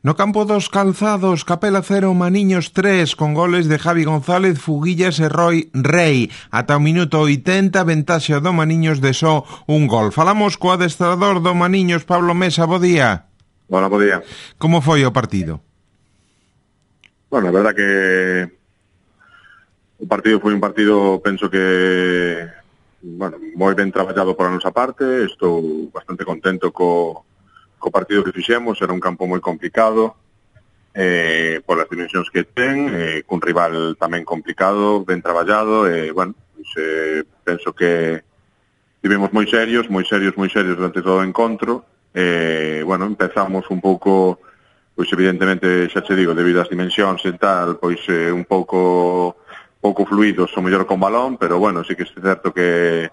No campo dos Calzados, Capela 0, Maniños 3, con goles de Javi González, Fuguillas e Roy Rey. Ata o minuto 80, ventaxa do Maniños de só un gol. Falamos co adestrador do Maniños, Pablo Mesa, bo día. Hola, bo día. Como foi o partido? Bueno, a verdad que o partido foi un partido, penso que, bueno, moi ben traballado por a nosa parte. Estou bastante contento co partido que fixemos. Era un campo moi complicado, polas dimensións que ten, cun rival tamén complicado, ben traballado, bueno, pues, penso que estivemos moi serios durante todo o encontro. Bueno, empezamos un pouco, pois evidentemente, xa che digo, debido ás dimensións e tal, pois un pouco fluidos, o mellor con balón, pero bueno, sí que é certo que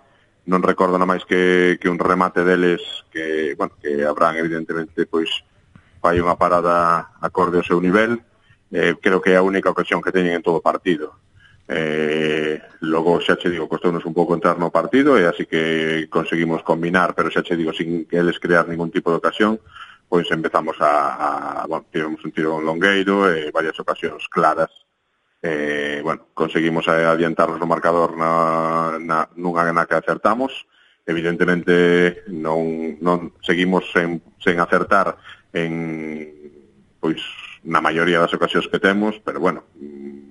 non recordo nada máis que un remate deles que, bueno, que Abraham evidentemente pois fai unha parada acorde ao seu nivel. Creo que é a única ocasión que teñen en todo o partido. Logo, xa che digo, costounos un pouco entrar no partido e así que conseguimos combinar, pero xa che digo, sin que eles crear ningún tipo de ocasión, pois empezamos bueno, tivemos un tiro longueiro e varias ocasións claras. Bueno, conseguimos adiantarnos no marcador nunha na que acertamos. Evidentemente non seguimos sen acertar pois na maioría das ocasións que temos, pero bueno,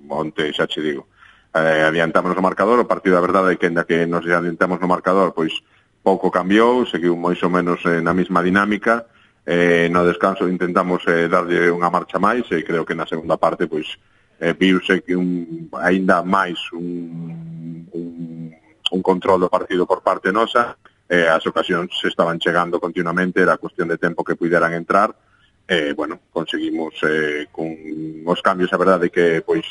onte xa che digo, adiantamos no marcador. O partido, a verdade é que ainda que nos adiantamos no marcador, pois pouco cambiou, seguiu máis ou menos na mesma dinámica. No descanso intentamos darlle unha marcha máis e creo que na segunda parte pois viuse que aínda máis un control do partido por parte nosa. As ocasións se estaban chegando continuamente, era cuestión de tempo que puderan entrar. Bueno, conseguimos con os cambios, a verdade que pois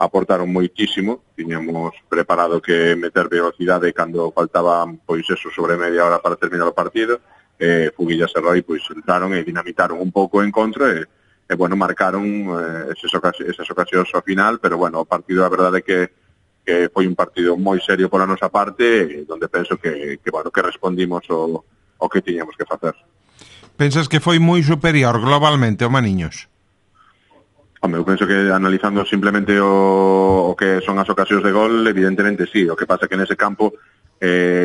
aportaron moitísimo. Tiñamos preparado que meter velocidade cando faltaban pois eso, sobre media hora para terminar o partido. Fuguillas e Roy pois entraron e dinamitaron un pouco o encontro e bueno, marcaron esas ocasións ao final, pero bueno, o partido, a verdade é que foi un partido moi serio pola nosa parte, onde penso que bueno, que respondimos o que tiñamos que facer. Pensas que foi moi superior globalmente o Maniños? Home, eu penso que analizando simplemente o que son as ocasións de gol, evidentemente sí. O que pasa que nese campo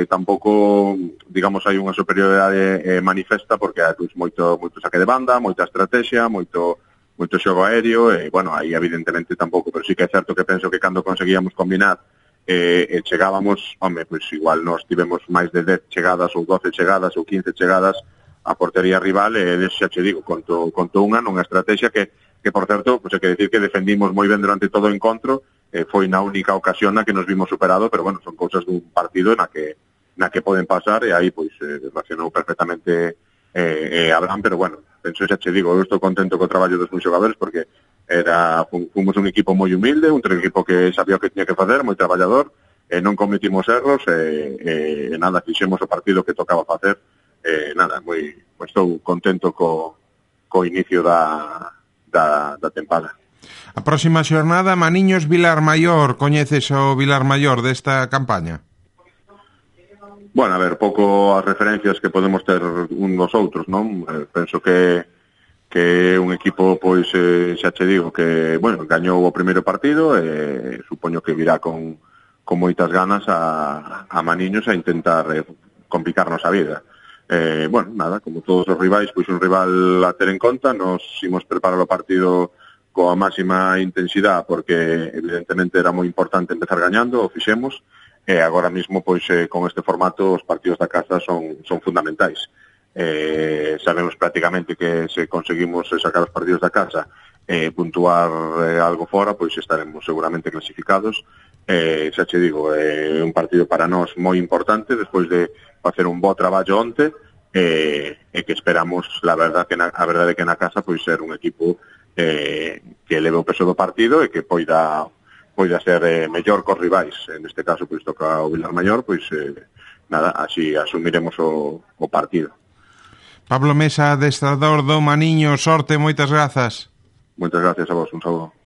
tampouco, digamos, hai unha superioridade manifesta, porque hai moito saque de banda, moita estrategia, moito xogo aéreo, e, bueno, aí evidentemente tampouco, pero sí que é certo que penso que cando conseguíamos combinar e chegábamos, home, pois igual nós tivemos máis de 10 chegadas ou 12 chegadas ou 15 chegadas a portería rival, e xa che digo, conto unha nunha estrategia que por certo, pois hai que decir que defendimos moi ben durante todo o encontro. Foi na única ocasión na que nos vimos superado, pero bueno, son cousas dun partido na que poden pasar, e aí pois relacionou perfectamente Abraham, pero bueno, penso, xa che digo, eu estou contento co traballo dos meus xogadores, porque fomos un equipo moi humilde, un equipo que sabía o que tiña que facer, moi traballador, non cometimos erros, nada, fixemos o partido que tocaba facer, nada, estou contento co inicio da tempada. A próxima xornada, Maniños Vilar Maior. Coñeces o Vilar Maior desta campaña? Bueno, a ver, pouco as referencias que podemos ter un dos outros, non? Penso que é un equipo, pois, xa che digo, que, bueno, gañou o primeiro partido e supoño que virá con moitas ganas a Maniños a intentar complicarnos a vida. Bueno, nada, como todos os rivais, pois un rival a ter en conta. Nos imos preparar o partido coa máxima intensidade, porque evidentemente era moi importante empezar gañando, o fixemos, e agora mesmo pois con este formato os partidos da casa son fundamentais. Sabemos prácticamente que se conseguimos sacar os partidos da casa e puntuar algo fora, pois estaremos seguramente clasificados. Xa che digo, é un partido para nós moi importante despois de facer un bo traballo onte, e que esperamos, a verdade que na casa pois ser un equipo que leve o peso do partido e que poida ser mellor cos rivais. En este caso, pois toca o Vilar Maior, pois nada, así asumiremos o partido. Pablo Mesa, adestrador do Maniño, sorte, moitas grazas. Moitas gracias a vos, un saúdo.